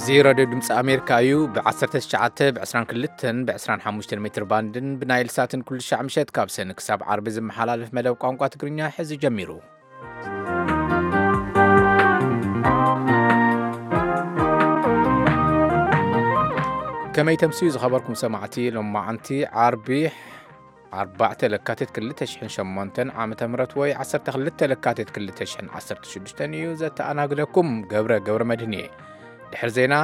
እዚ ራድዮ ድምፂ ኣሜሪካ እዩ። ብ19፣ ብ22፣ ብ25 ሜትር ባንድን ብናይል ሳትን ኩሉ ሻዕ ምሸት ካብ ሰኒ ክሳብ ዓርቢ ዝመሓላለፍ መደብ ቋንቋ ትግርኛ ሕዚ ጀሚሩ። ከመይ ተምስዩ ዝኸበርኩም ሰማዕቲ፣ ሎማዓንቲ ዓርቢ ኣርባዕተ ለካቲት ክልተ ሽሕን ሸሞንተን ዓመተ ምህረት ወይ ዓሰርተ ክልተ ለካቲት ክልተ ሽሕን ዓሰርተ ሽዱሽተን እዩ። ዘተኣናግደኩም ገብረ ገብረ መድህን እየ። ድሕሪ ዜና፣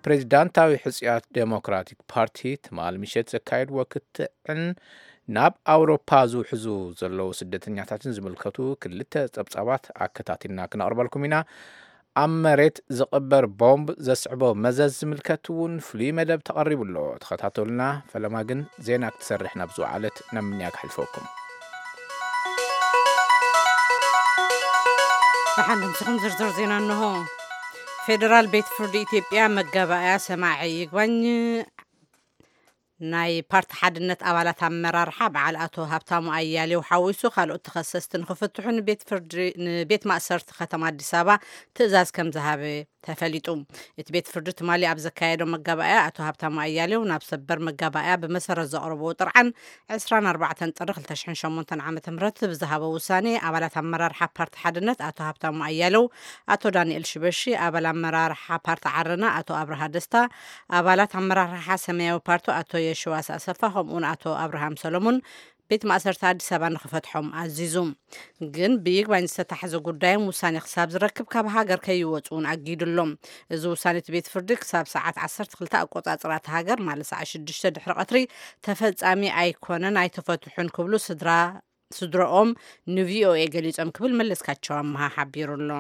ፕሬዚዳንታዊ ሕጽያት ዴሞክራቲክ ፓርቲ ትማል ምሸት ዘካየድዎ ክትዕን ናብ ኣውሮፓ ዝውሕዙ ዘለዉ ስደተኛታትን ዝምልከቱ ክልተ ጸብጻባት ኣከታቲልና ክነቕርበልኩም ኢና። ኣብ መሬት ዝቕበር ቦምብ ዘስዕቦ መዘዝ ዝምልከት እውን ፍሉይ መደብ ተቐሪቡ ኣሎ። ተኸታተሉና። ፈለማ ግን ዜና ክትሰርሕ ናብ ዝወዓለት ናብ ምንያ ክሕልፈኩም። ደሓን ድምስኹም ዝርዝር ዜና እንሆ። ፌደራል ቤት ፍርዲ ኢትዮጵያ መጋባእያ ሰማዒ ይግባኝ ናይ ፓርቲ ሓድነት ኣባላት ኣመራርሓ በዓል ኣቶ ሃብታሙ ኣያሌው ሓዊሱ ካልኦት ተኸሰስቲ ንኽፍትሑ ንቤት ፍርዲ፣ ንቤት ማእሰርቲ ከተማ ኣዲስ ኣበባ ትእዛዝ ከም ዝሃበ ተፈሊጡ። እቲ ቤት ፍርዲ ትማሊ ኣብ ዘካየዶ መጋባእያ ኣቶ ሃብታሙ ኣያሌው ናብ ሰበር መጋባእያ ብመሰረት ዘቕረብዎ ጥርዓን ዕስራን ኣርባዕተን ጥሪ ክልተ ሽሕን ሸሞንተን ዓመተ ምህረት ብዝሃቦ ውሳኔ ኣባላት ኣመራርሓ ፓርቲ ሓድነት ኣቶ ሃብታሙ ኣያሌው፣ ኣቶ ዳንኤል ሽበሺ፣ ኣባል ኣመራርሓ ፓርቲ ዓረና ኣቶ ኣብርሃ ደስታ፣ ኣባላት ኣመራርሓ ሰማያዊ ፓርቲ ኣቶ የሽዋስ ኣሰፋ ከምኡውን ኣቶ ኣብርሃም ሰሎሞን ቤት ማእሰርቲ ኣዲስ ኣበባ ንኽፈትሖም ኣዚዙ። ግን ብይግባኝ ዝተታሕዘ ጉዳዮም ውሳኔ ክሳብ ዝረክብ ካብ ሃገር ከይወፁ እውን ኣጊዱ ኣሎ። እዚ ውሳኔ እቲ ቤት ፍርዲ ክሳብ ሰዓት ዓሰርተ ክልተ ኣቆጻጽራ እቲ ሃገር ማለት ሰዓት ሽዱሽተ ድሕሪ ቀትሪ ተፈጻሚ ኣይኮነን፣ ኣይተፈትሑን ክብሉ ስድራ ስድረኦም ንቪኦኤ ገሊጾም ክብል መለስካቸው ኣመሃ ሓቢሩ ኣሎ።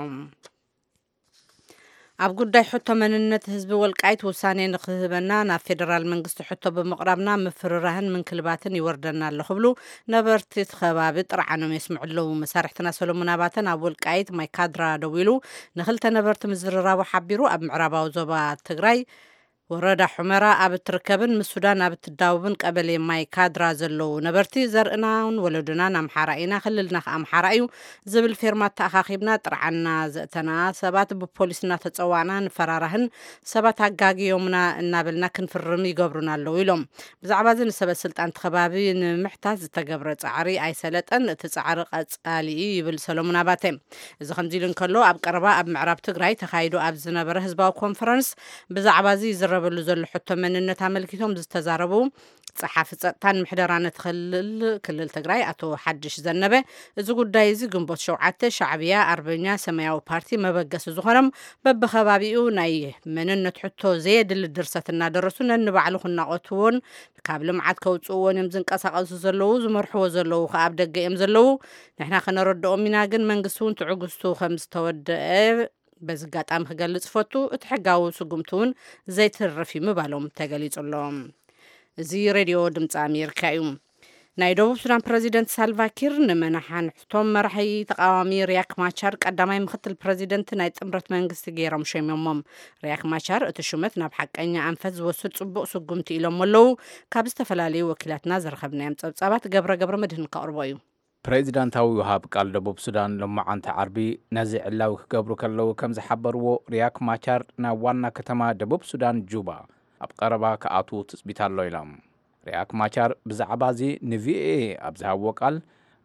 ኣብ ጉዳይ ሕቶ መንነት ህዝቢ ወልቃይት ውሳኔ ንክህበና ናብ ፌደራል መንግስቲ ሕቶ ብምቕራብና ምፍርራህን ምንክልባትን ይወርደና ኣሎ ክብሉ ነበርቲ እቲ ከባቢ ጥርዓኖም የስምዑ ኣለዉ። መሳርሕትና ሰሎሞን ኣባተ ናብ ወልቃይት ማይ ካድራ ደዊሉ ንክልተ ነበርቲ ምዝርራቡ ሓቢሩ። ኣብ ምዕራባዊ ዞባ ትግራይ ወረዳ ሑመራ ኣብ እትርከብን ምስ ሱዳን ኣብ እትዳወብን ቀበሌ ማይ ካድራ ዘለዉ ነበርቲ ዘርእናን ወለዱናን ኣምሓራ ኢና፣ ክልልና ከኣ ኣምሓራ እዩ ዝብል ፌርማ ተኣኻኺብና ጥርዓንና ዘእተና ሰባት ብፖሊስ እናተጸዋዕና ንፈራራህን ሰባት ኣጋግዮምና እናበልና ክንፍርም ይገብሩና ኣለዉ ኢሎም። ብዛዕባ እዚ ንሰበ ስልጣን እቲ ከባቢ ንምሕታት ዝተገብረ ጻዕሪ ኣይሰለጠን፣ እቲ ጻዕሪ ቀጻሊ እዩ ይብል ሰሎሙን ኣባተ። እዚ ከምዚ ኢሉ እንከሎ ኣብ ቀረባ ኣብ ምዕራብ ትግራይ ተኻይዱ ኣብ ዝነበረ ህዝባዊ ኮንፈረንስ ብዛዕባ እዚ ይዝረበሉ ዘሎ ሕቶ መንነት ኣመልኪቶም ዝተዛረቡ ጸሓፊ ጸጥታን ምሕደራን እቲ ክልል፣ ክልል ትግራይ ኣቶ ሓድሽ ዘነበ፣ እዚ ጉዳይ እዚ ግንቦት ሸውዓተ፣ ሻዕብያ፣ ኣርበኛ፣ ሰማያዊ ፓርቲ መበገሲ ዝኾኖም በብኸባቢኡ ናይ መንነት ሕቶ ዘየድሊ ድርሰት እናደረሱ ነንባዕሉ ክናቖትዎን ካብ ልምዓት ከውፅእዎን እዮም ዝንቀሳቐሱ ዘለዉ፣ ዝመርሕዎ ዘለዉ ከኣ ኣብ ደገ እዮም ዘለዉ። ንሕና ከነረድኦም ኢና፣ ግን መንግስቲ እውን ትዕግስቱ ከም ዝተወደአ በዚ ኣጋጣሚ ክገልጽ እፈቱ። እቲ ሕጋዊ ስጉምቲ እውን ዘይትርፍ እዩ ምባሎም ተገሊጹ ኣሎ። እዚ ሬድዮ ድምፂ ኣሜሪካ እዩ። ናይ ደቡብ ሱዳን ፕረዚደንት ሳልቫኪር ንመናሓንሕቶም መራሒ ተቃዋሚ ሪያክ ማቻር ቀዳማይ ምክትል ፕረዚደንት ናይ ጥምረት መንግስቲ ገይሮም ሸሚሞም። ሪያክ ማቻር እቲ ሹመት ናብ ሓቀኛ ኣንፈት ዝወስድ ጽቡቕ ስጉምቲ ኢሎም ኣለዉ። ካብ ዝተፈላለዩ ወኪላትና ዝረኸብናዮም ጸብጻባት ገብረ ገብረ መድህን ከቕርቦ እዩ። ፕሬዚዳንታዊ ወሃብ ቃል ደቡብ ሱዳን ሎማዓንቲ ዓርቢ ነዚ ዕላዊ ክገብሩ ከለዉ ከም ዝሓበርዎ፣ ሪያክ ማቻር ናብ ዋና ከተማ ደቡብ ሱዳን ጁባ ኣብ ቀረባ ክኣትዉ ትጽቢት ኣሎ ኢሎም። ሪያክ ማቻር ብዛዕባ እዚ ንቪኦኤ ኣብ ዝሃብዎ ቃል፣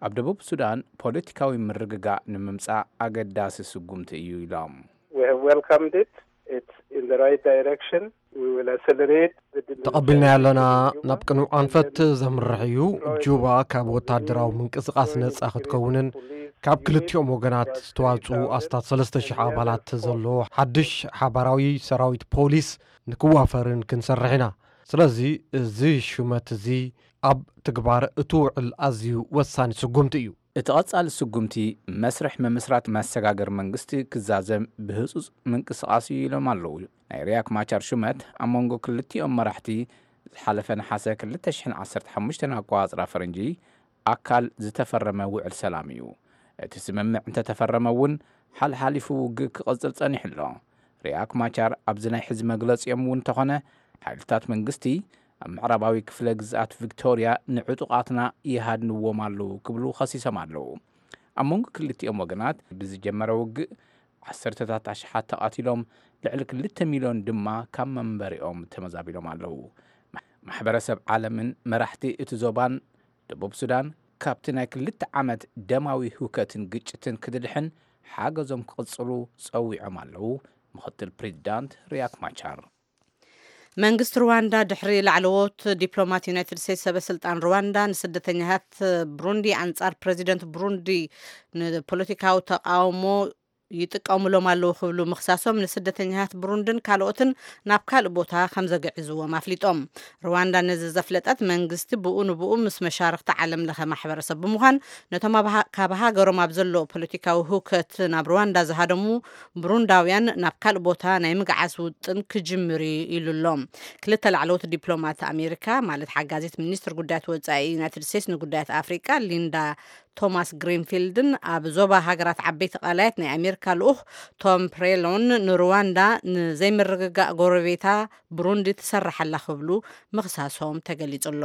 ኣብ ደቡብ ሱዳን ፖለቲካዊ ምርግጋእ ንምምጻእ ኣገዳሲ ስጉምቲ እዩ ኢሎም። We have welcomed it. It's in the right direction. We will accelerate the demilitarization ተቐቢልናዮ ኣለና። ናብ ቅኑዕ ኣንፈት ዘምርሕ እዩ። ጁባ ካብ ወታደራዊ ምንቅስቓስ ነጻ ክትከውንን ካብ ክልቲኦም ወገናት ዝተዋጽኡ ኣስታት ሰለስተ ሽሕ ኣባላት ዘለዎ ሓድሽ ሓባራዊ ሰራዊት ፖሊስ ንክዋፈርን ክንሰርሕ ኢና። ስለዚ እዚ ሹመት እዚ ኣብ ትግባር እትውዕል ኣዝዩ ወሳኒ ስጉምቲ እዩ። እቲ ቀጻሊ ስጉምቲ መስርሕ ምምስራት መሰጋገሪ መንግስቲ ክዛዘም ብህጹጽ ምንቅስቓስ እዩ ኢሎም ኣለዉ። ናይ ሪያክ ማቻር ሹመት ኣብ መንጎ ክልቲኦም መራሕቲ ዝሓለፈ ነሓሰ ክልተ ሽሕን ዓሰርተ ሓሙሽተን ኣቆጻጽራ ፈረንጂ ኣካል ዝተፈረመ ውዕል ሰላም እዩ። እቲ ስምምዕ እንተተፈረመ እውን ሓልሓሊፉ ውግእ ክቕጽል ጸኒሑ ኣሎ። ሪያክ ማቻር ኣብዚ ናይ ሕዚ መግለጺኦም እውን እንተኾነ፣ ሓይልታት መንግስቲ ኣብ ምዕራባዊ ክፍለ ግዝኣት ቪክቶርያ ንዕጡቓትና ይሃድንዎም ኣለዉ ክብሉ ከሲሶም ኣለዉ። ኣብ መንጎ ክልቲኦም ወገናት ብዝጀመረ ውግእ ዓሰርተታት ኣሽሓት ተቓቲሎም፣ ልዕሊ ክልተ ሚልዮን ድማ ካብ መንበሪኦም ተመዛቢሎም ኣለዉ። ማሕበረሰብ ዓለምን መራሕቲ እቲ ዞባን፣ ደቡብ ሱዳን ካብቲ ናይ ክልተ ዓመት ደማዊ ህውከትን ግጭትን ክትድሕን ሓገዞም ክቕጽሉ ጸዊዖም ኣለዉ። ምኽትል ፕሬዚዳንት ሪያክ ማቻር። መንግስቲ ሩዋንዳ ድሕሪ ላዕለዎት ዲፕሎማት ዩናይትድ ስቴትስ ሰበ ስልጣን ሩዋንዳ ንስደተኛታት ብሩንዲ ኣንጻር ፕሬዚደንት ብሩንዲ ንፖለቲካዊ ተቃውሞ ይጥቀሙሎም ኣለዉ ክብሉ ምኽሳሶም ንስደተኛታት ብሩንድን ካልኦትን ናብ ካልእ ቦታ ከም ዘግዕዝዎም ኣፍሊጦም። ሩዋንዳ ነዚ ዘፍለጠት መንግስቲ ብኡ ንብኡ ምስ መሻርኽቲ ዓለም ለኸ ማሕበረሰብ ብምዃን ነቶም ኣብ ሃ- ካብ ሃገሮም ኣብ ዘሎ ፖለቲካዊ ህውከት ናብ ሩዋንዳ ዝሃደሙ ብሩንዳውያን ናብ ካልእ ቦታ ናይ ምግዓዝ ውጥን ክጅምር እዩ ኢሉ ኣሎ። ክልተ ላዕለዎት ዲፕሎማት ኣሜሪካ ማለት ሓጋዚት ሚኒስትር ጉዳያት ወጻኢ ዩናይትድ ስቴትስ ንጉዳያት ኣፍሪቃ ሊንዳ ቶማስ ግሪንፊልድን ኣብ ዞባ ሃገራት ዓበይቲ ቀላያት ናይ ኣሜሪካ ልኡኽ ቶም ፕሬሎን ንሩዋንዳ ንዘይምርግጋእ ጎረቤታ ብሩንዲ ትሰርሕ ኣላ ክብሉ ምኽሳሶም ተገሊጹ ኣሎ።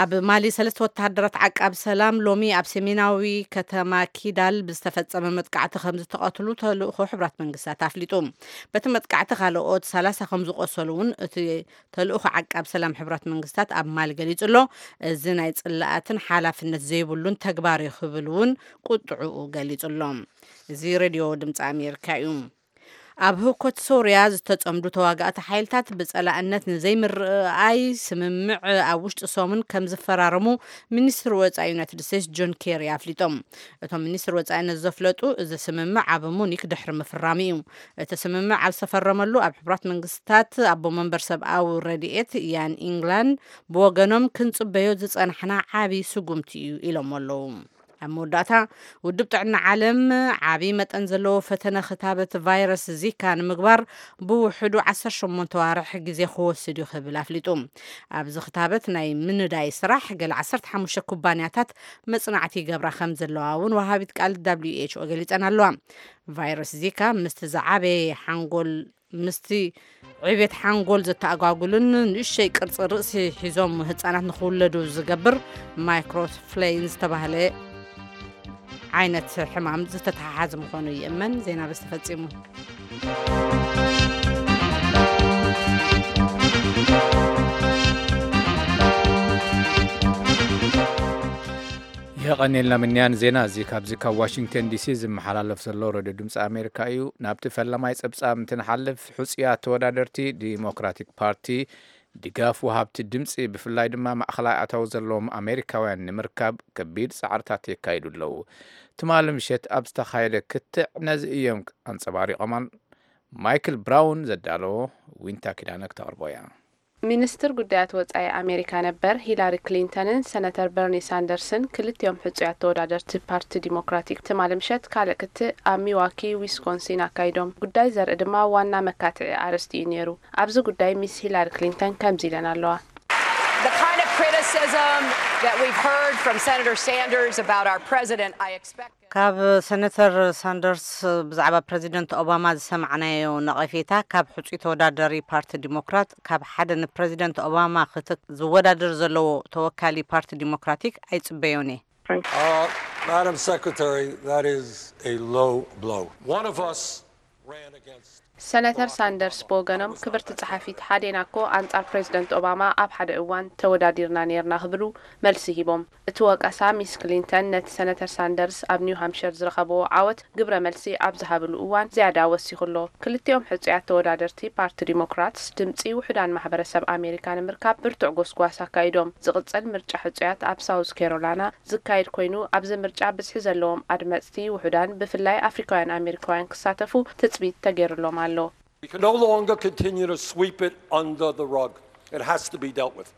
ኣብ ማሊ ሰለስተ ወተሃደራት ዓቃብ ሰላም ሎሚ ኣብ ሰሜናዊ ከተማ ኪዳል ብዝተፈጸመ መጥቃዕቲ ከም ዝተቐትሉ ተልእኾ ሕብራት መንግስታት ኣፍሊጡ። በቲ መጥቃዕቲ ካልኦት ሰላሳ ከም ዝቆሰሉ እውን እቲ ተልእኾ ዓቃብ ሰላም ሕብራት መንግስታት ኣብ ማሊ ገሊጹ ኣሎ። እዚ ናይ ጽላኣትን ሓላፍነት ዘይብሉን ተግባር እዩ ክብል እውን ቁጥዕኡ ገሊጹ ኣሎ። እዚ ሬድዮ ድምፂ ኣሜሪካ እዩ። ኣብ ህውከት ሶርያ ዝተጸምዱ ተዋጋእቲ ሓይልታት ብጸላእነት ንዘይምርኣይ ስምምዕ ኣብ ውሽጢ ሰሙን ከም ዝፈራረሙ ሚኒስትር ወጻኢ ዩናይትድ ስቴትስ ጆን ኬሪ ኣፍሊጦም። እቶም ሚኒስትር ወጻኢ ነዚ ዘፍለጡ እዚ ስምምዕ ኣብ ሙኒክ ድሕሪ ምፍራሙ እዩ። እቲ ስምምዕ ኣብ ዝተፈረመሉ ኣብ ሕቡራት መንግስታት ኣቦ መንበር ሰብኣዊ ረድኤት ያን ኢንግላንድ ብወገኖም ክንጽበዮ ዝጸናሕና ዓቢ ስጉምቲ እዩ ኢሎም ኣለዉ። ኣብ መወዳእታ ውድብ ጥዕና ዓለም ዓቢ መጠን ዘለዎ ፈተነ ክታበት ቫይረስ ዚካ ንምግባር ብውሕዱ ዓሰርተ ሸሞንተ ዋርሕ ግዜ ክወስድ እዩ ክብል ኣፍሊጡ። ኣብዚ ክታበት ናይ ምንዳይ ስራሕ ገለ ዓሰርተ ሓሙሽተ ኩባንያታት መጽናዕቲ ይገብራ ከም ዘለዋ እውን ወሃቢት ቃል ደብሊው ኤች ኦ ገሊጸን ኣለዋ። ቫይረስ ዚካ ምስቲ ዝዓበየ ሓንጎል ምስቲ ዕቤት ሓንጎል ዘተኣጓጉልን ንእሽተይ ቅርጺ ርእሲ ሒዞም ህጻናት ንኽውለዱ ዝገብር ማይክሮፍሌን ዝተባህለ ዓይነት ሕማም ዝተተሓሓዘ ምዃኑ ይእመን። ዜና በዚ ተፈጺሙ። የቐኔልና ምንያን ዜና እዚ ካብዚ ካብ ዋሽንግተን ዲሲ ዝመሓላለፍ ዘሎ ሬድዮ ድምፂ ኣሜሪካ እዩ። ናብቲ ፈለማይ ፀብፃብ እንትንሓልፍ፣ ሕፁያት ተወዳደርቲ ዲሞክራቲክ ፓርቲ ድጋፍ ወሃብቲ ድምፂ ብፍላይ ድማ ማእኸላይ ኣታዊ ዘለዎም ኣሜሪካውያን ንምርካብ ከቢድ ፃዕርታት የካይዱ ኣለዉ። ትማሊ ምሸት ኣብ ዝተኻየደ ክትዕ ነዚ እዮም ኣንፀባሪቖም። ማይክል ብራውን ዘዳለዎ ዊንታ ኪዳነ ክተቕርቦ እያ። ሚኒስትር ጉዳያት ወጻኢ ኣሜሪካ ነበር ሂላሪ ክሊንተንን ሰነተር በርኒ ሳንደርስን ክልቲኦም ሕጹያት ተወዳደርቲ ፓርቲ ዲሞክራቲክ ትማሊ ምሸት ካልእ ክትዕ ኣብ ሚዋኪ ዊስኮንሲን ኣካይዶም። ጉዳይ ዘርኢ ድማ ዋና መካትዒ ኣርእስቲ እዩ ነይሩ። ኣብዚ ጉዳይ ሚስ ሂላሪ ክሊንተን ከምዚ ኢለን ኣለዋ። The kind of criticism that we've heard from Senator Sanders about our president, I expect ካብ ሰነተር ሳንደርስ ብዛዕባ ፕረዚደንት ኦባማ ዝሰማዕናዮ ነቐፌታ ካብ ሕጹይ ተወዳዳሪ ፓርቲ ዲሞክራት፣ ካብ ሓደ ንፕረዚደንት ኦባማ ክት- ዝወዳደር ዘለዎ ተወካሊ ፓርቲ ዲሞክራቲክ ኣይጽበዮን እየ። Uh, Madam Secretary, that is a low blow. One of us ran against ሰነተር ሳንደርስ ብወገኖም፣ ክብርቲ ጸሓፊት፣ ሓዴና እኮ ኣንጻር ፕሬዚደንት ኦባማ ኣብ ሓደ እዋን ተወዳዲርና ነይርና ክብሉ መልሲ ሂቦም። እቲ ወቀሳ ሚስ ክሊንተን ነቲ ሰነተር ሳንደርስ ኣብ ኒው ሃምፕሸር ዝረኸብዎ ዓወት ግብረ መልሲ ኣብ ዝሃብሉ እዋን ዝያዳ ወሲኹ ኣሎ። ክልቲኦም ሕጹያት ተወዳደርቲ ፓርቲ ዲሞክራትስ ድምጺ ውሑዳን ማሕበረሰብ ኣሜሪካ ንምርካብ ብርቱዕ ጎስጓስ ኣካይዶም። ዝቕጽል ምርጫ ሕጹያት ኣብ ሳውዝ ካሮላይና ዝካየድ ኮይኑ፣ ኣብዚ ምርጫ ብዝሒ ዘለዎም ኣድመጽቲ ውሑዳን ብፍላይ ኣፍሪካውያን ኣሜሪካውያን ክሳተፉ ትጽቢት ተገይሩሎም ኣሎ። We can no longer continue to sweep it under the rug. It has to be dealt with.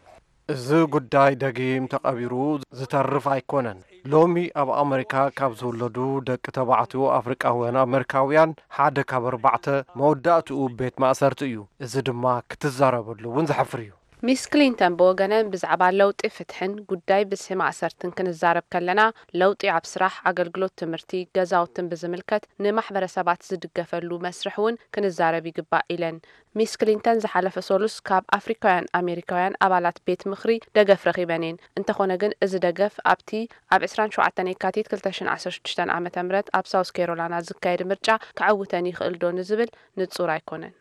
እዚ ጉዳይ ደጊም ተቐቢሩ ዝተርፍ ኣይኮነን። ሎሚ ኣብ ኣመሪካ ካብ ዝውለዱ ደቂ ተባዕትዮ ኣፍሪቃውያን ኣመሪካውያን ሓደ ካብ ኣርባዕተ መወዳእትኡ ቤት ማእሰርቲ እዩ። እዚ ድማ ክትዛረበሉ እውን ዘሕፍር እዩ። ሚስ ክሊንተን ብወገነን፣ ብዛዕባ ለውጢ ፍትሕን ጉዳይ ብዝሒ ማእሰርትን ክንዛረብ ከለና፣ ለውጢ ኣብ ስራሕ፣ ኣገልግሎት፣ ትምህርቲ፣ ገዛውትን ብዝምልከት ንማሕበረሰባት ዝድገፈሉ መስርሕ እውን ክንዛረብ ይግባእ ኢለን። ሚስ ክሊንተን ዝሓለፈ ሰሉስ ካብ ኣፍሪካውያን ኣሜሪካውያን ኣባላት ቤት ምኽሪ ደገፍ ረኺበን እየን። እንተኾነ ግን፣ እዚ ደገፍ ኣብቲ ኣብ ዕስራን ሸውዓተን የካቲት ክልተ ሽሕን ዓሰርተ ሽዱሽተን ዓመተ ምህረት ኣብ ሳውስ ካሮላይና ዝካየድ ምርጫ ከዕውተን ይኽእል ዶ ንዝብል ንጹር ኣይኮነን።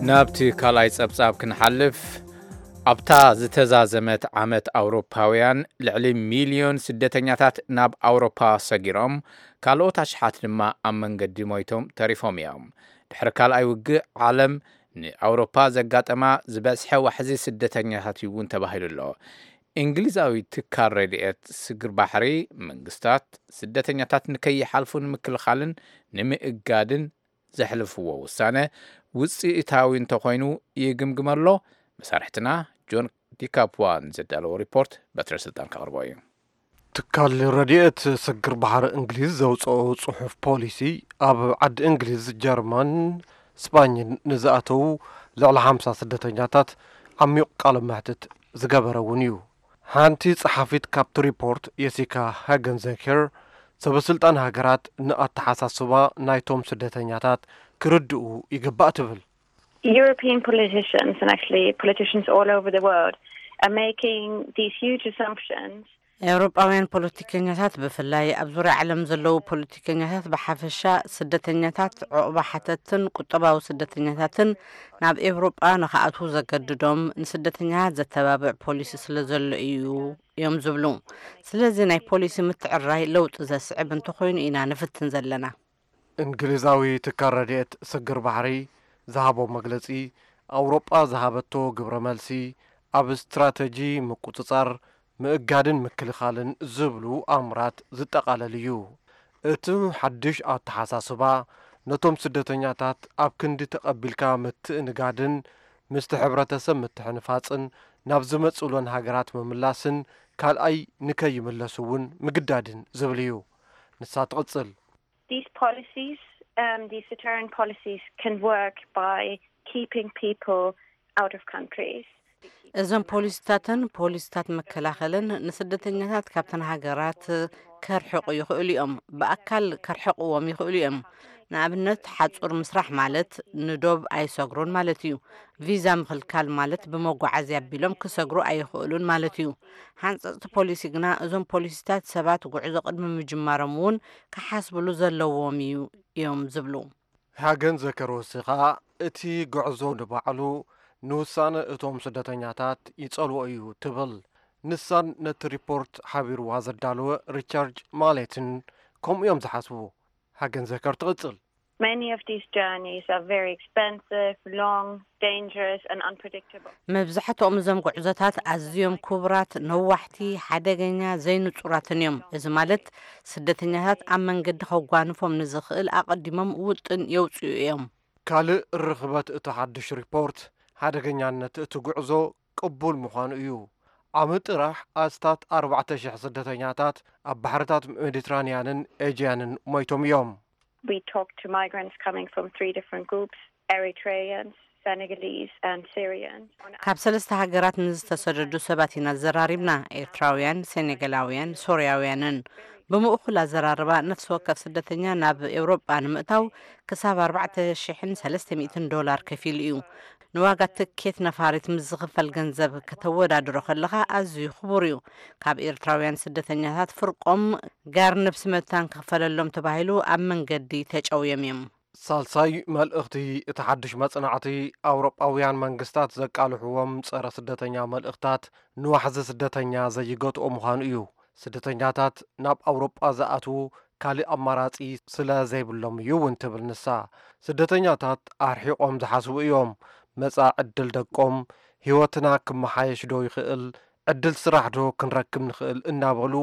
ናብቲ ካልኣይ ጸብጻብ ክንሓልፍ፣ ኣብታ ዝተዛዘመት ዓመት ኣውሮፓውያን ልዕሊ ሚልዮን ስደተኛታት ናብ ኣውሮፓ ሰጊሮም፣ ካልኦት ኣሽሓት ድማ ኣብ መንገዲ ሞይቶም ተሪፎም እዮም። ድሕሪ ካልኣይ ውግእ ዓለም ንኣውሮፓ ዘጋጠማ ዝበዝሐ ዋሕዚ ስደተኛታት እዩ እውን ተባሂሉ ኣሎ። እንግሊዛዊ ትካል ረድኤት ስግር ባሕሪ፣ መንግስታት ስደተኛታት ንከይሓልፉ ንምክልኻልን ንምእጋድን ዘሕልፍዎ ውሳነ ውፅኢታዊ እንተኾይኑ ይግምግም ኣሎ። መሳርሕትና ጆን ዲካፕዋ ንዘዳለዎ ሪፖርት በትረ ስልጣን ከቕርቦ እዩ። ትካል ረድኤት ስግር ባሕሪ እንግሊዝ ዘውፅኦ ፅሑፍ ፖሊሲ፣ ኣብ ዓዲ እንግሊዝ፣ ጀርመን፣ ስጳኝን ንዝኣተዉ ልዕሊ ሓምሳ ስደተኛታት ዓሚቕ ቃለ መሕትት ዝገበረ እውን እዩ። ሓንቲ ጸሓፊት ካብቲ ሪፖርት፣ የሲካ ሃገንዘከር፣ ሰበስልጣን ሃገራት ንኣተሓሳስባ ናይቶም ስደተኛታት ክርድኡ ይግባእ ትብል። European politicians, and actually politicians all over the world, are making these huge assumptions. ኤውሮጳውያን ፖለቲከኛታት ብፍላይ፣ ኣብ ዙርያ ዓለም ዘለዉ ፖለቲከኛታት ብሓፈሻ፣ ስደተኛታት፣ ዑቕባ ሓተትን ቁጠባዊ ስደተኛታትን ናብ ኤውሮጳ ንኽኣትዉ ዘገድዶም፣ ንስደተኛታት ዘተባብዕ ፖሊሲ ስለ ዘሎ እዩ እዮም ዝብሉ። ስለዚ ናይ ፖሊሲ ምትዕርራይ ለውጢ ዘስዕብ እንተኾይኑ ኢና ንፍትን ዘለና። እንግሊዛዊ ትካል ረድኤት ስግር ባሕሪ ዝሃቦ መግለጺ፣ ኣውሮጳ ዝሃበቶ ግብረ መልሲ ኣብ ስትራተጂ ምቁጽጻር፣ ምእጋድን ምክልኻልን ዝብሉ ኣምራት ዝጠቓለል እዩ። እቲ ሓድሽ ኣተሓሳስባ፣ ነቶም ስደተኛታት ኣብ ክንዲ ተቐቢልካ ምትእንጋድን ምስቲ ሕብረተሰብ ምትሕንፋጽን ናብ ዝመጽእሎን ሃገራት ምምላስን ካልኣይ ንከይምለሱ እውን ምግዳድን ዝብል እዩ። ንሳ ትቕጽል። These policies, um, these deterrent policies, can work by keeping people out of countries. እዞም ፖሊሲታትን ፖሊሲታት መከላኸልን ንስደተኛታት ካብተን ሃገራት ከርሕቑ ይኽእሉ እዮም። ብኣካል ከርሕቕዎም ይኽእሉ እዮም። ንኣብነት፣ ሓጹር ምስራሕ ማለት ንዶብ ኣይሰግሩን ማለት እዩ። ቪዛ ምኽልካል ማለት ብመጓዓዝያ ኣቢሎም ክሰግሩ ኣይኽእሉን ማለት እዩ። ሓንጸጽቲ ፖሊሲ ግና፣ እዞም ፖሊሲታት ሰባት ጉዕዞ ቅድሚ ምጅማሮም እውን ክሓስብሉ ዘለዎም እዩ እዮም ዝብሉ። ሃገንዘከር ወሲኻ፣ እቲ ጉዕዞ ንባዕሉ ንውሳነ እቶም ስደተኛታት ይጸልዎ እዩ ትብል። ንሳን ነቲ ሪፖርት ሓቢርዋ ዘዳለወ ሪቻርድ ማሌትን ከምኡ እዮም ዝሓስቡ። ሃገንዘከር ትቕጽል። Many of these journeys are very expensive, long, dangerous, and unpredictable. መብዛሕትኦም እዞም ጉዕዞታት ኣዝዮም ክቡራት፣ ነዋሕቲ፣ ሓደገኛ፣ ዘይንጹራትን እዮም። እዚ ማለት፣ ስደተኛታት ኣብ መንገዲ ከጓንፎም ንዝኽእል ኣቐዲሞም ውጥን የውጽኡ እዮም። ካልእ ርኽበት እቲ ሓድሽ ሪፖርት፣ ሓደገኛነት እቲ ጉዕዞ ቅቡል ምዃኑ እዩ። ዓሚ ጥራሕ ኣስታት ኣርባዕተ ሽሕ ስደተኛታት ኣብ ባሕርታት ሜዲትራንያንን ኤጅያንን ሞይቶም እዮም። We talked to migrants coming from three different groups: Eritreans, Senegalese, and Syrians. ካብ ሰለስተ ሃገራት ንዝተሰደዱ ሰባት ኢና ዘራሪብና፣ ኤርትራውያን፣ ሴኔጋላውያን፣ ሶርያውያንን። ብምእኹል ኣዘራርባ፣ ነፍሲ ወከፍ ስደተኛ ናብ ኤውሮጳ ንምእታው ክሳብ ኣርባዕተ ሽሕን ሰለስተ ሚእትን ዶላር ከፊሉ እዩ። ንዋጋ ትኬት ነፋሪት ምስ ዝኽፈል ገንዘብ ከተወዳድሮ ከለኻ ኣዝዩ ክቡር እዩ። ካብ ኤርትራውያን ስደተኛታት ፍርቆም ጋር ነብሲ መታን ክኽፈለሎም ተባሂሉ ኣብ መንገዲ ተጨውዮም እዮም። ሳልሳይ መልእኽቲ እቲ ሓድሽ መጽናዕቲ፣ ኣውሮጳውያን መንግስታት ዘቃልሕዎም ጸረ ስደተኛ መልእኽታት ንዋሕዚ ስደተኛ ዘይገትኦ ምዃኑ እዩ። ስደተኛታት ናብ ኣውሮጳ ዝኣትዉ ካልእ ኣማራጺ ስለ ዘይብሎም እዩ እውን ትብል ንሳ። ስደተኛታት ኣርሒቖም ዝሓስቡ እዮም። መጻኢ ዕድል ደቆም፣ ህይወትና ክመሓየሽ ዶ ይኽእል፣ ዕድል ስራሕ ዶ ክንረክብ ንኽእል እናበሉ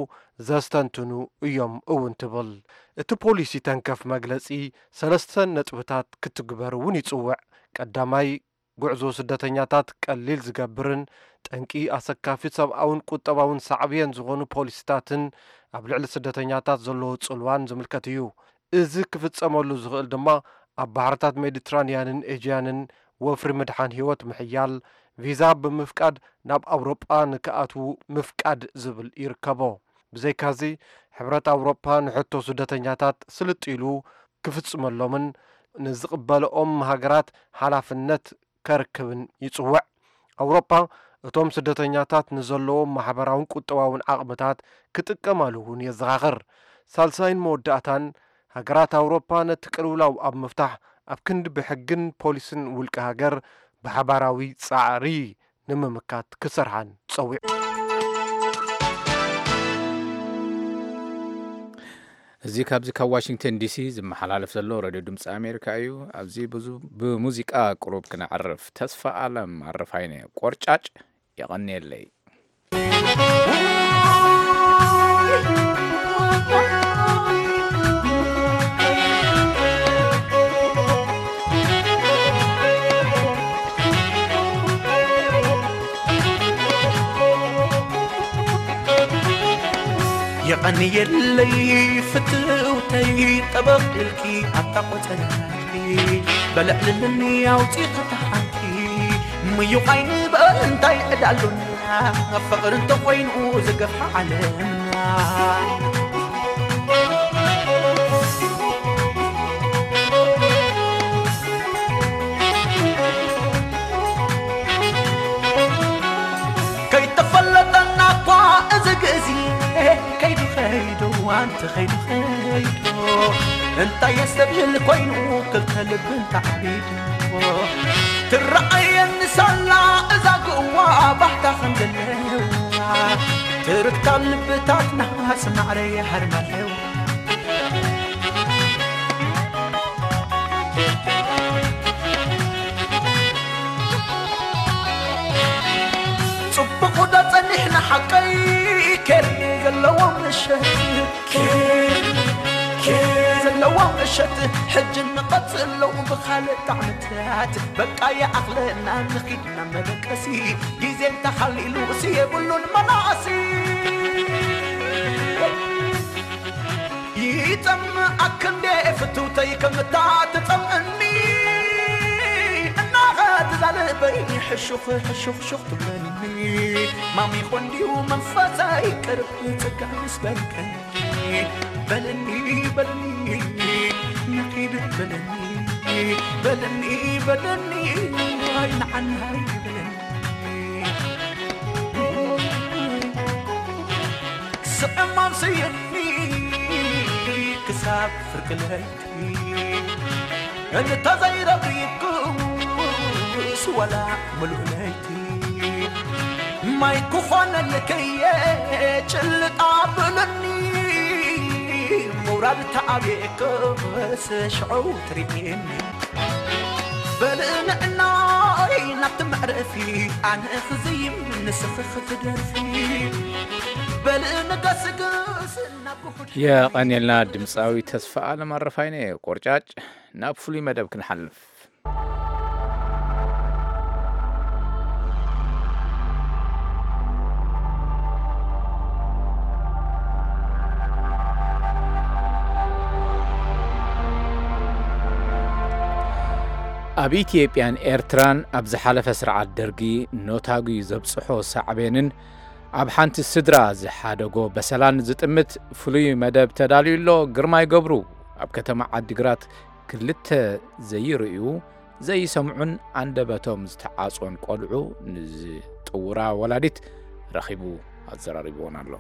ዘስተንትኑ እዮም እውን ትብል። እቲ ፖሊሲ ተንከፍ መግለጺ ሰለስተ ነጥብታት ክትግበር እውን ይጽውዕ። ቀዳማይ፣ ጉዕዞ ስደተኛታት ቀሊል ዝገብርን ጠንቂ ኣሰካፊ ሰብኣውን ቁጠባውን ሳዕብየን ዝኾኑ ፖሊሲታትን ኣብ ልዕሊ ስደተኛታት ዘለዎ ጽልዋን ዝምልከት እዩ። እዚ ክፍጸመሉ ዝኽእል ድማ ኣብ ባሕርታት ሜዲትራንያንን ኤጅያንን ወፍሪ ምድሓን ህይወት ምሕያል፣ ቪዛ ብምፍቃድ ናብ ኣውሮጳ ንክኣትዉ ምፍቃድ ዝብል ይርከቦ። ብዘይካዚ፣ ሕብረት ኣውሮጳ ንሕቶ ስደተኛታት ስልጥ ኢሉ ክፍጽመሎምን ንዝቕበልኦም ሃገራት ሓላፍነት ከርክብን ይጽውዕ። ኣውሮጳ እቶም ስደተኛታት ንዘለዎም ማሕበራውን ቁጠባውን ዓቕምታት ክጥቀማሉ እውን የዘኻኽር። ሳልሳይን መወዳእታን፣ ሃገራት ኣውሮጳ ነቲ ቅልውላው ኣብ ምፍታሕ ኣብ ክንዲ ብሕግን ፖሊስን ውልቀ ሃገር ብሓባራዊ ጻዕሪ ንምምካት ክሰርሓን ጸዊዑ። እዚ ካብዚ ካብ ዋሽንግተን ዲሲ ዝመሓላለፍ ዘሎ ሬድዮ ድምፂ ኣሜሪካ እዩ። ኣብዚ ብዙ ብሙዚቃ ቁሩብ ክነዕርፍ። ተስፋ ኣለም ኣረፋይነ ቆርጫጭ የቐንየለይ። የቐንየለይ ፍትውተይ ጠበቕ ኢልኪ ኣታ ቆጸራርኪ በልዕልልኒ ኣውፂ ከተሓንቲ ምዩቕ ኣይንበል እንታይ ዕዳ ኣሎና ፍቕሪ እንተኾይኑ ዝገፍሓ ዓለምና። ከይተፈለጠና እኳ እዚ ግዜ ከይዱ ከይዱ ኣንቲ ከይዱ ከይዱ እንታይ የስተብህል ኮይኑ ክልተ ልብን ተዓቢዱ ትረኣየኒ ሳላ እዛ ግዋ ባህታ ከም ዘለዋ ትርክታ ልብታትና ስማዕረ የሃርማለዋ። ጽቡቕ ዶ ጸኒሕና ሓቀይ ኬር ዘለዎ ምሸት ኬር ኬር ዘለዎ ምሸት ሕጂ ንቐጽሎ ብኻልእ ጣዕምታት በቃ ይኣኽለና ንኺድና መደቀሲ ግዜ እንተሓሊሉ ሲ የብሉን መናእሲ ይጠምኣክ እንዴ ፍትውተይ ከምታ ትጠምእኒ እናኸ ትዛልበይ ሕሹኽ ሕሹኽ ሹኽ ትብለኒ ማሚ ኾንዲዩ መንፈሰይ ቅርብ ጽጋ ምስ በልከ በለኒ በለኒ ንኺድ በለኒ በለኒ በለኒ ኣይንዓናይ በለኒ ስዕማም ስየኒ ክሳብ ፍርቂ ለይቲ እንተዘይረኺብኩስ ወላ ምሉእ ለይቲ ማይ ክኾነልክየ ጭልጥ ኣብለኒ ምውራድ ተኣብየክስ ሽዑ ትርእየኒ በልንዕናይ ናብቲ መዕረፊ ኣነ ክዝይም ንስኺ ክትደርፊ በልንገስግስ ናብ ጉሑድ የቐንየልና ድምፃዊ ተስፋ ኣለም ኣረፋይነ ቆርጫጭ። ናብ ፍሉይ መደብ ክንሓልፍ። ኣብ ኢትዮጵያን ኤርትራን ኣብ ዝሓለፈ ስርዓት ደርጊ ኖታጒ ዘብጽሖ ሳዕቤንን ኣብ ሓንቲ ስድራ ዝሓደጎ በሰላን ዝጥምት ፍሉይ መደብ ተዳልዩ ኣሎ። ግርማይ ገብሩ ኣብ ከተማ ዓዲግራት ክልተ ዘይርእዩ ዘይሰምዑን ኣንደበቶም ዝተዓጾን ቆልዑ ንዝጥውራ ወላዲት ረኺቡ ኣዘራሪብዎን ኣሎ።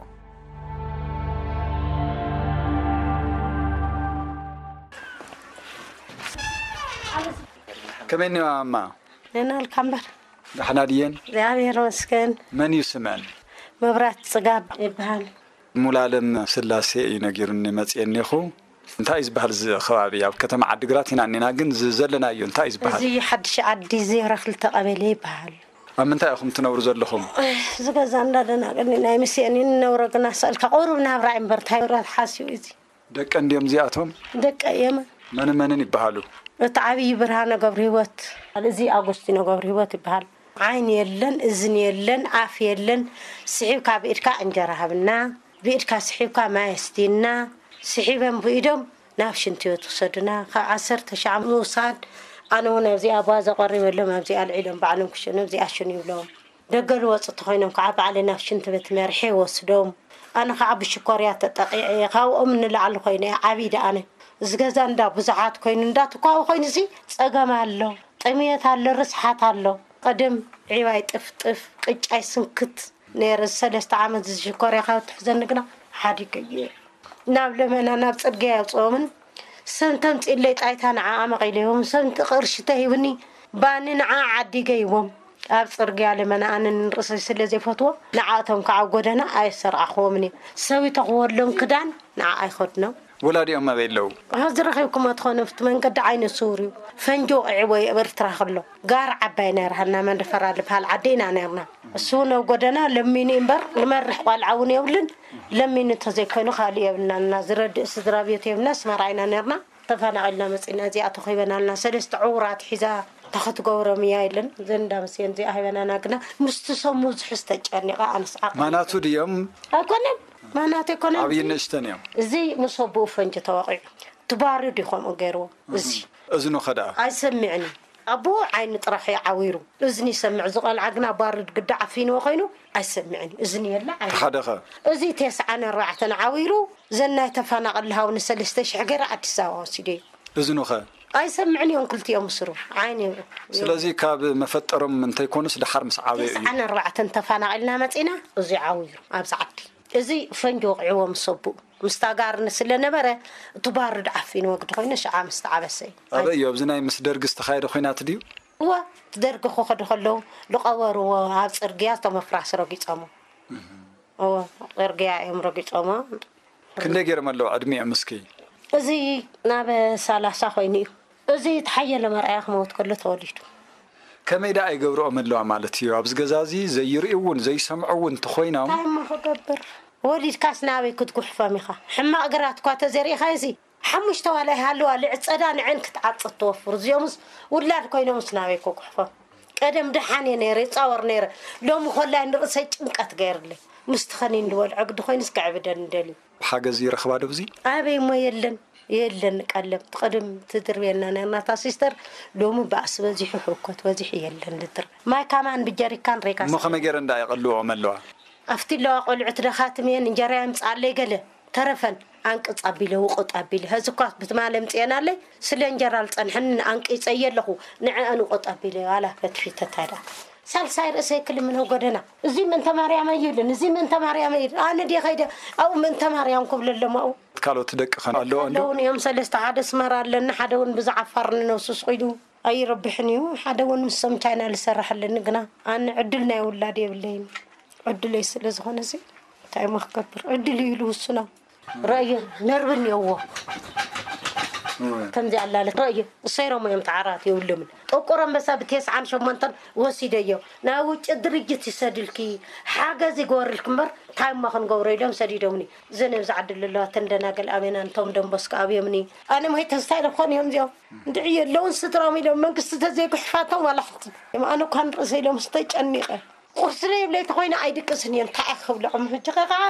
ከመይ እኒዋ ማማ? ነናልካ እምበር። ዳሕና ድየን? እግዚኣብሔር ይመስገን። መን እዩ ስመን? መብራት ጽጋብ ይበሃል። ሙሉኣለም ስላሴ እዩ ነጊሩኒ መፅየ እኒኹ። እንታይ እዩ ዝበሃል እዚ ከባቢ? ኣብ ከተማ ዓዲግራት ኢና እኒና፣ ግን እዚ ዘለናዮ እንታይ እዩ ዝበሃል? እዚ ሓድሽ ዓዲ ዜሮ ክልተ ቀበሌ ይበሃል። ኣብ ምንታይ ኢኹም ትነብሩ ዘለኹም? እዚ ገዛ እንዳደናቅኒ ናይ ምስኤን ንነብሮ ግና ስእልካ ቁሩብ ናብራ እምበር እንታይ ንብረት ሓስዩ እዚ። ደቀ እንድዮም እዚኣቶም? ደቀ እዮም። መንን መንን ይበሃሉ? እቲ ዓብዪ ብርሃነ ገብረ ህይወት። እዚ ኣጎስቲኖ ገብረ ህይወት ይበሃል። ዓይኒ የለን፣ እዝኒ የለን፣ ኣፍ የለን። ስዒብካ ብኢድካ እንጀራ ሃብና። ብኢድካ ስሒብካ ማይ ኣስትይና፣ ስሒበን ብኢዶም ናብ ሽንቲ ቤት ውሰዱና። ካብ ዓሰርተ ሻዕ ምውሳድ፣ ኣነ እውን ኣብዚኣ ጓዛ ቀሪበሎም፣ ኣብዚኣ ኣልዒሎም ባዕሎም ክሽኑ፣ ኣብዚኣ ሽኑ ይብሎም። ደገ ዝወፁ ተኾይኖም ከዓ ባዕለይ ናብ ሽንቲ ቤት መርሐ ይወስዶም። ኣነ ከዓ ብሽኮርያ ተጠቂዐ እየ፣ ካብኦም ንላዕሊ ኮይነ እየ ዓብይ ደኣነ። እዚ ገዛ እንዳ ብዙሓት ኮይኑ፣ እንዳትኳዊ ኮይኑ ሲ ፀገም ኣሎ፣ ጥምየት ኣሎ፣ ርስሓት ኣሎ። ቀደም ዒባይ ጥፍጥፍ፣ ቅጫይ ስንክት ነይረ። ሰለስተ ዓመት ዝሽኮርያ ካብ ትሕዘኒ ግና ሓዲገ እየ። ናብ ለመና ናብ ፅርግያ የውፅኦምን፣ ሰብ እንተምፅእለይ ጣይታ ንዓኣ መቒለዮም፣ ሰብ እንተ ቅርሺ ተሂብኒ ባኒ ንዓኣ ዓዲገ ይዎም። ኣብ ፅርግያ ለመና ኣነ ንርእሰይ ስለ ዘይፈትዎ፣ ንዓኣቶም ከዓ ኣብ ጎደና ኣየሰርዓኽዎምን እየ። ሰብ ይተኽወሎም ክዳን ንዓኣ ኣይኸድኖም። ወላዲኦም ኣበይ ኣለዉ? ሕዚ ረኺብኩሞ ትኾኑ፣ ኣብቲ መንገዲ ዓይነ ስውር እዩ። ፈንጂ ወቒዕዎ እዩ ኣብ ኤርትራ ከሎ። ጋር ዓባይ ነይራ፣ ሃና መንደፈራ ዝበሃል ዓዲ ኢና ነይርና። እሱ እውን ኣብ ጎደና ለሚኑ እዩ እምበር፣ ንመርሕ ቋልዓ እውን የብሉን። ለሚኑ እንተዘይኮይኑ ካልእ የብልናን። ዝረድእ ስድራ ቤት የብልና፣ ኣስመራ ኢና ነይርና። ተፈናቒልና መፂና፣ እዚኣ ተኺበናልና። ሰለስተ ዕዉራት ሒዛ፣ እንታይ ክትገብሮም እያ ኢለን። ዘን እንዳ መስየን እዚኣ ሂበናና፣ ግና ምስቲ ሰብ ምብዝሑ ዝተጨኒቐ ኣነስ ዓቕሊ ማናቱ ድዮም? ኣይኮነን፣ ማናቱ ኣይኮነን። ዓብዪ ንእሽተን እዮም። እዚ ምስ ኣቦኡ ፈንጂ ተወቒዑ፣ እቲ ባሩድ እዩ ከምኡ ገይርዎ። እዚ እዝኑ ኸ ደኣ? ኣይሰምዕን እዩ። ኣቦኡ ዓይኒ ጥራሕ እዩ ዓዊሩ፣ እዝኒ ይሰምዕ። እዚ ቖልዓ ግና ባሩድ ግዳ ዓፊንዎ ኮይኑ ኣይሰምዕን እዩ። እዝኒ የለ፣ ዓይኒ። ሓደ ኸ? እዚ ተስዓን ኣርባዕተን ዓዊሩ፣ ዘን ናይ ተፈናቐል ሃው ንሰለስተ ሽሕ ገይረ ኣዲስ ኣበባ ወሲደዮ። እዝኑ ኸ? ኣይሰምዕን እዮም ክልቲኦም ስሩ፣ ዓይኒ። ስለዚ ካብ መፈጠሮም እንተይኮኑስ ደሓር ምስ ዓበዩ እዩ። ተስዓን ኣርባዕተን ተፈናቒልና መፂና፣ እዚ ዓዊሩ ኣብዚ ዓዲ። እዚ ፈንጂ ወቒዕዎ ምስ ኣቦኡ። ምስታ ጋር ስለ ነበረ፣ እቲ ባሩድ ዓፊኑ ወግዲ ኮይኑ ሽዓ ምስ ተዓበሰ እዩ። ኣበይ እዩ? ኣብዚ ናይ ምስ ደርጊ ዝተኻየደ ኹናት ድዩ? እወ፣ እቲ ደርጊ ክኸዱ ከለዉ፣ ዝቐበርዎ ኣብ ጽርግያ እቶም ኣፍራስ ረጊጾሞ። እወ፣ ጽርግያ እዮም ረጊጾሞ። ክንደይ ገይሮም ኣለዉ ዕድሚኦም እስኪ? እዚ ናብ ሰላሳ ኮይኑ እዩ። እዚ ተሓየለ መርኣያ ክመውት ከሎ ተወሊዱ። ከመይ ደኣ ይገብርኦም ኣለዋ ማለት እዩ? ኣብዚ ገዛ እዚ ዘይርእዩ እውን ዘይሰምዑ እውን እንተኾይኖም። እንታይ እሞ ክገብር? ወሊድካስ ናበይ ክትጉሕፎም ኢኻ? ሕማቕ ግራት እኳ ተዘሪእኻ እዚ ሓሙሽተ ዋላ ይሃልዋ ልዕጸዳ ንዐን ክትዓጽድ ትወፍር። እዚኦምስ ውላድ ኮይኖምስ ናበይ ክጉሕፎም? ቀደም ደሓን እየ ነይረ፣ ይጻወር ነይረ። ሎሚ ኮላይ ንርእሰይ ጭንቀት ገይርለይ። ምስቲ ኸኒን ዝበልዖ ግዲ ኮይኑስ ከዕብደኒ ደልዩ። ሓገዝ ይረኽባ ዶ ብዚ? ኣበይ እሞ የለን፣ የለን ቀለብ። ትቐደም ትድርብየና ነርና እታ ሲስተር፣ ሎሚ ባእሲ በዚሑ፣ ሕውከት በዚሑ፣ የለን ልድርብ። ማይ ካማን ብጀሪካን ሬጋ እሞ ከመይ ገይረን ደኣ የቐልዎኦም ኣለዋ? ኣብቲ ኣለዋ ቆልዑት ደኻትም እየን፣ እንጀራ የምጽኣለይ ገለ ተረፈን፣ ኣንቅጽ ኣቢለ፣ ውቑጥ ኣቢለ። ሀዚ እኳ ብትማሊ ኣምጽኤናለይ፣ ስለ እንጀራ ዝጸንሐኒ ኣንቂጸየ ኣለኹ፣ ንዕአን ውቑጥ ኣቢለ፣ ዋላ ፈትፊተታ ደኣ። ሳልሳይ ርእሰይ ክልምኖ ጎደና። እዚ ምእንተ ማርያም ኣይብልን፣ እዚ ምእንተ ማርያም ኣይብልን። ኣነ ድየ ከይደ ኣብኡ ምእንተ ማርያም ክብለሎም ኣብኡ። ካልኦት ደቂ ኸ ኣለዎ እንዶ? ኣለውን እዮም ሰለስተ፣ ሓደ ኣስመራ ኣለኒ፣ ሓደ እውን ብዛዕባ ዓፋር ንነብሱ ስቕ ኢሉ ኣይረብሕን እዩ። ሓደ እውን ምስ ሰም ቻይና ዝሰርሕ ኣለኒ፣ ግና ኣነ ዕድል ናይ ውላድ የብለይን። ዕድለይ ስለ ዝኾነ እዚ እንታይ እሞ ክገብር? ዕድል እዩ ኢሉ ውሱኖ። ረእየ ነርቭ እኒኦዎ። እወ። ከምዚ ኣላለ ረእየ እሰይሮም እዮም ተዓራት የብሎምን። ጥቁር ኣንበሳ ብቴስዓን ሸሞንተን ወሲደዮ። ናይ ውጭ ድርጅት ይሰድልኪ፣ ሓገዝ ይግበርልኪ እምበር እንታይ እሞ ክንገብሮ ኢሎም ሰዲዶምኒ። እዘን ኣብዚ ዓዲ ዘለዋ ተን ደናገል ኣበና፣ እንቶም ደንቦስኮ ኣብዮምኒ። ኣነ ሞይተ እንታይ ደኾን እዮም እዚኦም? እንድዒ የለውን ስድራም ኢሎም መንግስቲ ተዘይጉሕፋቶም ዋላ ሓንቲ። ኣነ እኳ ንርእሰ ኢሎም ዝተጨኒቐ። ቁርሲ ዘይብለይ ተኾይነ ኣይድቅስን እየ። እንታይ እየ ክብልዖም? ሕጂ ኸ ከዓ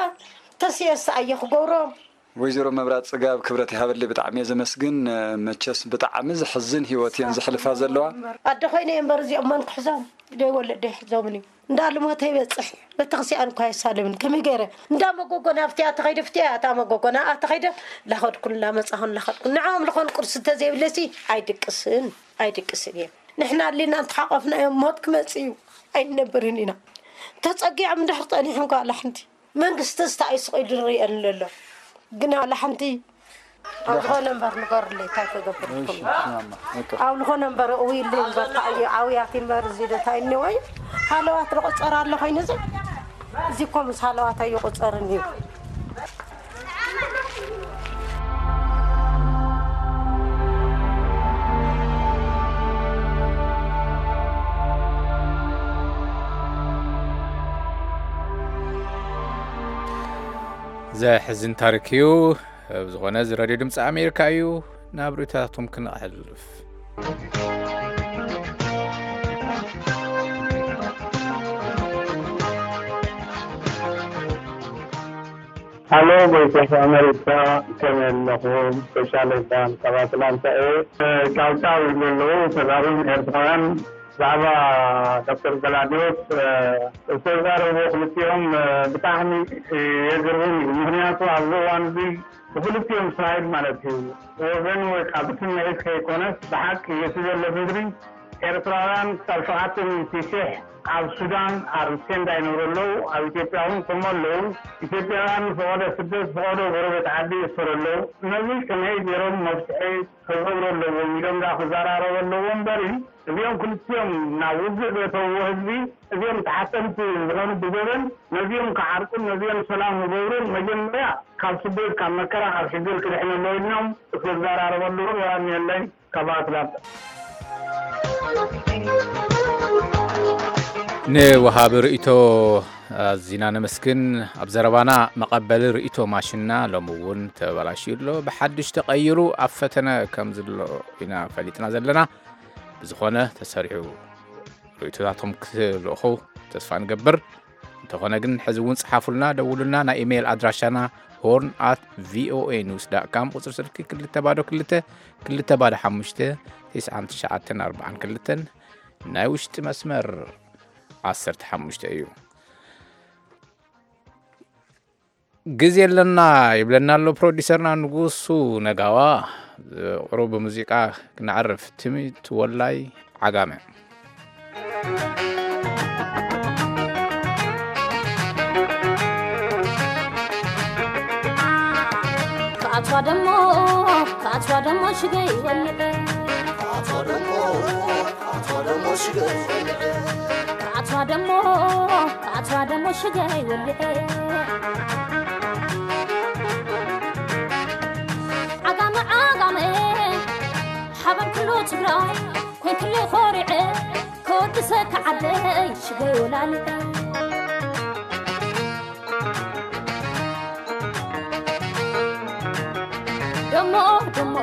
ተስየስ ኣየ ክገብሮም። ወይዘሮ መብራት ጽጋብ፣ ክብረት ይሃበለይ፣ ብጣዕሚ እየ ዘመስግን። መቸስ ብጣዕሚ ዘሕዝን ህይወት እየን ዘሕልፋ ዘለዋ። ኣደ ኮይነ እየ እምበር እዚኦም መን ክሕዞም? ደይ ወለደ ይሕዞምን እዩ። እንዳ ልሞተ ይበጽሕ። ቤተክርስትያን እኳ የሳልምን። ከመይ ገይረ? እንዳ መጎጎ ናብቲ እያ ተኸይደ፣ ፍቲ እያ እታ መጎጎ ናብኣ ተኸይደ፣ ላኸድኩን ላመጻኹን ላኸድኩን። ንዕኦም ልኾን ቁርሲ እንተዘይብለሲ ኣይድቅስን፣ ኣይድቅስን እየ። ንሕና ኣሊና እንተሓቆፍናዮም ሞት ክመጽእ እዩ። ኣይንነብርን ኢና። ተጸጊዖም እንድሕር ጸኒሖም ከኣ ላሕንቲ መንግስቲ ስታይ ስቕ ኢሉ ዝርእየን ዘሎ። ግና ዋላ ሓንቲ ኣብ ዝኾነ እምበር ንገሩለይ፣ እንታይ ክገብር እሺ፣ ይኸውን? ማማ፣ በቃ። ኣብ ዝኾነ እምበር እውይለይ እምበር፣ እንታይ እዩ፣ ኣውያት እምበር፣ እዚ ዶ እንታይ እኒኦ እዩ? ሃለዋት ዝቑጸር ኣሎ ኮይኑ፣ እዚ፣ እዚ እኮ ምስ ሃለዋት ኣይቑጸርን እዩ። ዘሕዝን ታሪክ እዩ። ብዝኾነ፣ እዚ ሬድዮ ድምፂ ኣሜሪካ እዩ። ናብ ርእይቶታትኩም ክነሕልፍ። ሃሎ፣ ቮይስ ኦፍ ኣመሪካ፣ ከመይ ኣለኹም? ስፔሻል ኤፋን ካብ ኣትላንታ እየ። እ፣ ጫውጫው ይብሉ ኣለዉ ተጋሩን ኤርትራውያን ብዛዕባ ዶክተር ገላድዮስ፣ እ፣ ዝተዛረቡ ክልቲኦም፣ እ፣ ብጣዕሚ፣ እ፣ የግርም እዩ። ምኽንያቱ ኣብዚ እዋን እዚ ብክልቲኦም ሳይድ ማለት እዩ፣ ወገን ወይ ካብ ስምዒት ከይኮነስ ብሓቂ እቲ ዘሎ ምድሪ ኤርትራውያን ክሳብ ሸውዓተ ሚእቲ ሺሕ ኣብ ሱዳን ኣብ ቴንዳ ይነብሩ ኣለዉ። ኣብ ኢትዮጵያ እውን ከምኡ ኣለዉ። ኢትዮጵያውያን ፈቐዶ ስደት፣ ፈቐዶ ጎረቤት ዓዲ ይእሰሩ ኣለዉ። ነዚ ከመይ ገይሮም መፍትሒ ክገብሩ ኣለዎም ኢሎም ደኣ ክዘራረቡ ኣለዎም እምበሪ፣ እዚኦም ክልቲኦም ናብ ውግእ ዘእተውዎ ህዝቢ፣ እዚኦም ተሓተምቲ ዝኾኑ ብገበን፣ ነዚኦም ክዓርቁን ነዚኦም ሰላም ክገብሩን መጀመርያ ካብ ስደት፣ ካብ መከራ፣ ካብ ሽግር ክድሕኑ ኣለዎ ኢልናም ክዘራረቡ ኣለዎም። ሰላም የለይ። ካብ ኣትላንታ። ንወሃቢ ርእይቶ ኣዚና ነመስግን። ኣብ ዘረባና መቐበሊ ርእይቶ ማሽንና ሎሚ እውን ተበላሽዩ ኣሎ። ብሓድሽ ተቐይሩ ኣብ ፈተነ ከም ዝሎ ኢና ፈሊጥና ዘለና። ብዝኾነ ተሰሪዑ ርእይቶታቶም ክትልእኹ ተስፋ ንገብር። እንተኾነ ግን ሕዚ እውን ጽሓፉልና፣ ደውሉልና። ናይ ኢሜይል ኣድራሻና ሆርን ኣት ቪኦኤ ኒውስ ዳት ካም፣ ቁጽሪ ስልኪ ክልተ ባዶ ክልተ፣ ክልተ ባዶ ሓሙሽተ፣ ትስዓን ትሽዓተን ኣርባዓን ክልተን፣ ናይ ውሽጢ መስመር ዓሰርተ ሓሙሽተ እዩ። ግዜ ኣለና ይብለና ኣሎ ፕሮዲሰርና ንጉሱ ነጋዋ። ቁሩብ ብሙዚቃ ክነዕርፍ። ትሚት ወላይ ዓጋመ። ክኣትዋ ደሞ፣ ክኣትዋ ደሞ ሽገይ ወልደ። ክኣትዋ ደሞ፣ ክኣትዋ ደሞ ሽገይ ወልደ። ክኣትዋ ደሞ፣ ክኣትዋ ደሞ ሽገይ ወልደ። ዓጋመ፣ ዓጋመ፣ ሓበን ኩሉ ትግራይ፣ ኮይንክሉ ኮሪዐ፣ ከወድሰካ ዓደይ ሽገይ ወላለ። ደሞ፣ ደሞ፣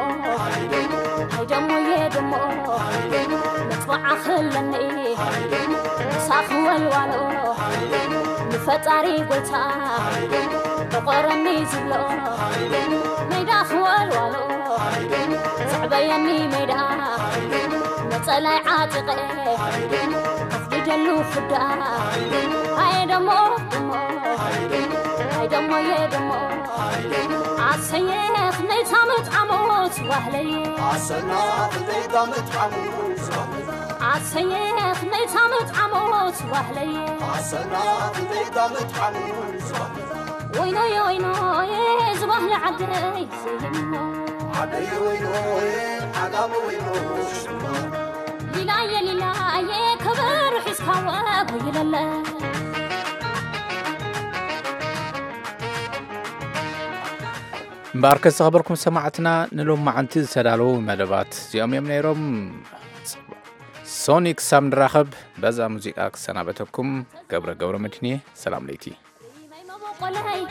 ሃይ ደሞ፣ ሃይ ደሞየ ደሞ፣ ሃይ ደሞ፣ መጥባዓ ክለኒ፣ ሃይ ደሞ፣ ምሳኺ ወልዋሎ፣ ሃይ ደሞ፣ ንፈጣሪ ጎይታ፣ ሃይ ደሞ፣ ዕቆረኒ ዝብሎ፣ ሃይ ደሞ፣ ሜዳ ክወልዋሎ፣ ሃይ ደሞ፣ ዘዕበየኒ ሜዳ፣ ሃይ ደሞ፣ ነጸላይ ዓጢቐ፣ ሃይ ደሞ፣ ከፍድደሉ ፍዳ፣ ሃይ ደሞ፣ ደሞ፣ ሃይ ደሞ፣ ሃይ ደሞየ ደሞ፣ ኣሰየ ክመይታ መጥዓሞት ዋህለይ። ኣሰና ክደይታ መጥዓሙ ዝዋህለ። ኣሰየ ክመይታ መጥዓሞት ዋህለይ። ኣሰና ክደይታ መጥዓሙ ዝዋህለ። ወይኖየ ወይኖየ ዝባህለ ዓደይ ዘይሞ። ዓደይ ወይኖየ ዓጋመ ወይኖ ሽማ። ሊላየ ሊላየ ከበሮ ሒዝካ ወጉ ይለለ። እምበኣርከ ዝተኸበርኩም ሰማዕትና፣ ንሎማዓንቲ ዝተዳለዉ መደባት እዚኦም እዮም ነይሮም። ሶኒ ክሳብ ንራኸብ በዛ ሙዚቃ ክሰናበተኩም። ገብረ ገብረ መድህን እየ። ሰላም ለይቲ። ማይ መበቆለይ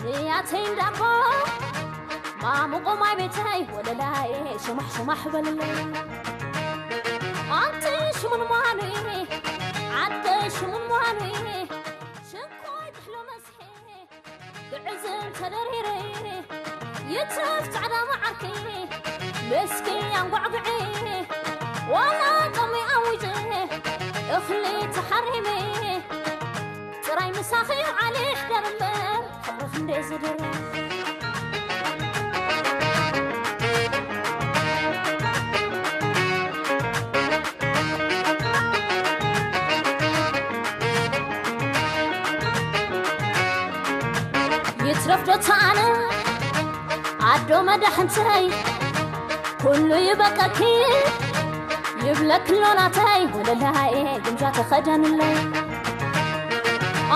ንያተይ እንዳቦ ማሙቆ ማይ ቤተይ ወለላይ ሽማሕ ሽማሕ በልለይ። ኣንቲ ሽሙን ሟኑ ዓደ ሽሙን ሟኑ ሽንኮይ ትሕሎ መስሒ ግዕዝም ተደሪረ ይትረፍ ጻዕዳ መዓርኪ መስኪ ኣንጓዕጉዒ ዋላ ጦሚ ኣዊጀ እኽሊ ተሓሪመ ጥራይ ምሳኺ ዓሊ ይሕደር እምበር ፍቕርኽ እንደ ዝድር። ይትረፍ ዶ ተኣነ ኣዶ መዳሕንተይ ኩሉ ይበቀኪ ይብለክ ኣሎ ናተይ ወለላይ ግምጃ ተኸደንለይ።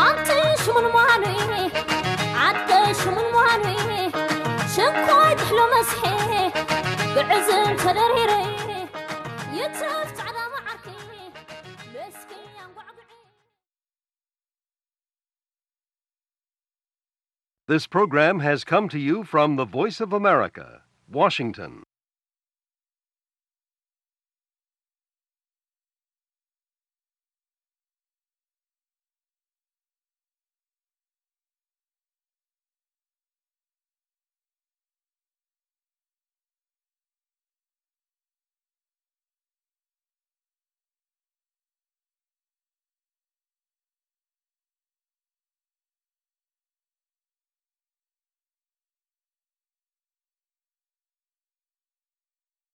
ኣንቲ ሽሙን ሟኑኢ ዓደ ሽሙን ሟኑኢ ሽንኮይ ትሕሎ መስሒ ግዕዝም ተደሪረ ይትረፍ ጻዕዳ መዓርኪ መስኪ ኣንጓዕጉዒ። This program has come to you from the Voice of America, Washington.